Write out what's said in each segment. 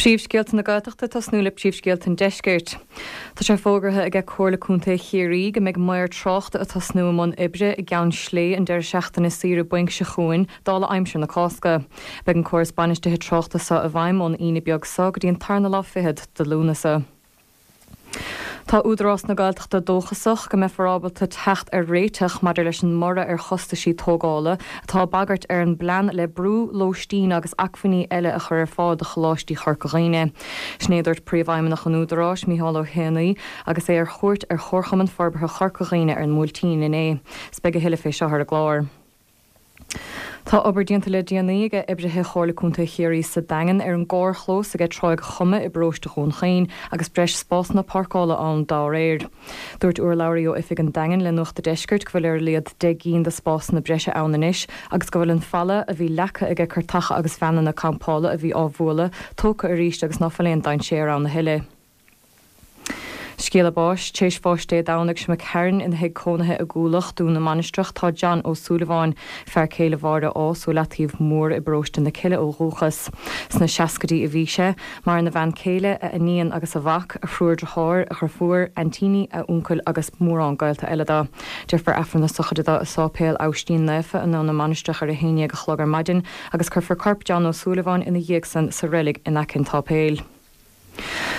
Príomhscéalta na Gaeltachta ag tosnú le príomhscéalta an Deiscirt. Tá sé fógartha aige Comhairle Contae Chiarraí go mbeidh maor tráchta ag tosnú i mbun oibre i gCeann Slé an deireadh seachtaine saoire bainc seo chugainn, dála aimsir na Cásca. Beidh an córas bainistithe tráchta seo i bhfeidhm ón Aoine beag seo go dtí an tarna lá fichead de Lúnasa. Tá Údarás na Gaeltachta dóchasach go mbeifear ábalta teacht ar réiteach maidir leis an mborradh ar chostaisí tógála atá ag bagairt ar an bplean le brú, lóistín agus acmhainní eile a chur ar fáil do choláistí Chorca Dhuibhne. Sin é a dúirt Príomhfheidhmeannach an Údaráis, Micheál Ó hÉanaí, agus é ar chuairt ar Chomharchumann Forbartha Chorca Dhuibhne ar an mBuailtín inné. 'S beidh a thuilleadh fé seo ar an gclár. Tá obair déanta le déanaí aige oibrithe Chomhairle Contae Chiarraí sa Daingean ar an gcarrchlós aige Tráigh Choma i bparóiste Dhún Chaoin agus breis spásanna páirceála ann dá réir. Dúirt urlabhraí ó oifig an Daingin le Nuacht a' Deiscirt go bhfuil ar a laghad 10 gcinn de spásanna breise ann anois agus go bhfuil an falla a bhí leagtha aige cartacha agus veaineanna campála a bhí á bhualadh tógtha arís agus ná fuil aon dainséar ann a thuilleadh. Scéala báis, Tar éis bháis Dé Domhnaigh seo imigh tharainn ina thigh cónaithe i gCuailleach, Dún na Mainistreach, tá John Ó Súilleabháin, fear céile Mháire Ághas ó Leataobh Mór i bparóiste na Cille ó dhúchas. Sna seascaidí a bhí sé. Maireann a bhean céile, a iníon agus a mhac, a thriúr driotháir, a dhriofúr, aintíní, a uncail agus mórán gaolta eile dó. Déarfar Aifreann na sochraide dó i Sáipéal Abhaistín Naofa i nDún na Mainistreach ar a haon dhéag a chlog ar maidin agus cuirfear corp John Ó Súilleabháin ina dhiaidh san sa reilig in aice an tsáipéil.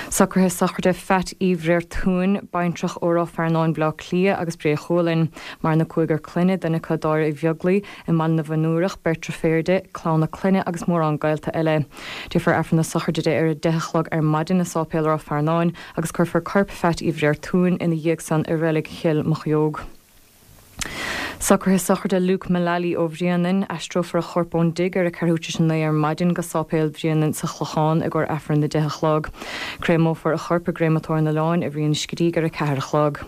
Socruithe sochraide Phat Uí Bhréartúin, baintreach ó Ráth Fearnáin Bhaile Átha Cliath agus Bré Chualann. Maireann a cúigear clainne, duine acu Dáire Uí Bheaglaoi, i mBaile na bhFionnúrach, beirt deirféar di, clann a clainne agus mórán gaolta eile. Déarfar Aifreann na sochraide di ar a 10 a chlog ar maidin i Sáipéal Ráth Fearnáin agus cuirfear corp Phat Uí Bhréartúin ina dhiaidh san i reilig Chill Mochióg. Socruithe sochraide Luke Mullally ó Bhréanainn. Aistreofar a chorp ón dtigh ar a ceathrú tar éis a 9 ar maidin go Sáipéal Bhréanainn sa Chlochán i gcomhair Aifreann a 10 a chlog. Créamófar a chorp i gCréamatóir an Oileáin i Rinn Scrígh ar a 4 a chlog.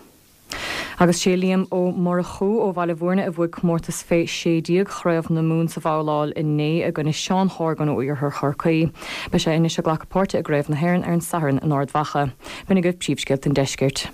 Agus sé Liam Ó Murchú ó Bhaile Bhúirne a bhuaigh comórtas fé 16 Chraobh na Mumhan sa bhabhláil inné i gcoinne Seán Horgan ó Iarthar Chorcaí. Beidh sé anois ag glacadh páirte i gCraobh na hÉireann ar an Satharn in Ard Mhacha. B'in agaibh príomhscéalta an deiscirt.